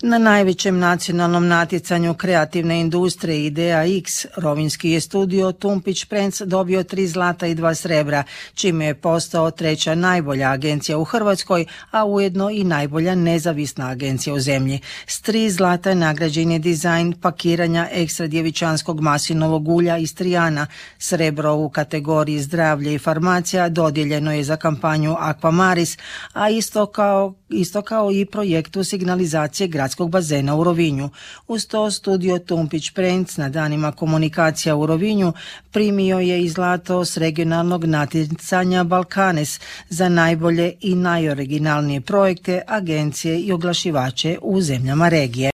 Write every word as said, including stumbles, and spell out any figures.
Na najvećem nacionalnom natjecanju kreativne industrije Idea X, rovinjski je studio Tumpić Prens dobio tri zlata i dva srebra, čime je postao treća najbolja agencija u Hrvatskoj, a ujedno i najbolja nezavisna agencija u zemlji. S tri zlata nagrađen je dizajn pakiranja ekstra djevičanskog maslinovog ulja iz Trijana. Srebro u kategoriji zdravlje i farmacija dodijeljeno je za kampanju Aquamaris, a isto kao, isto kao i projektu signalizacije gradskog bazena u Rovinju. Uz to studio Tumpić Prens na danima komunikacija u Rovinju primio je i zlato s regionalnog natjecanja Balkanes za najbolje i najoriginalnije projekte, agencije i oglašivače u zemljama regije.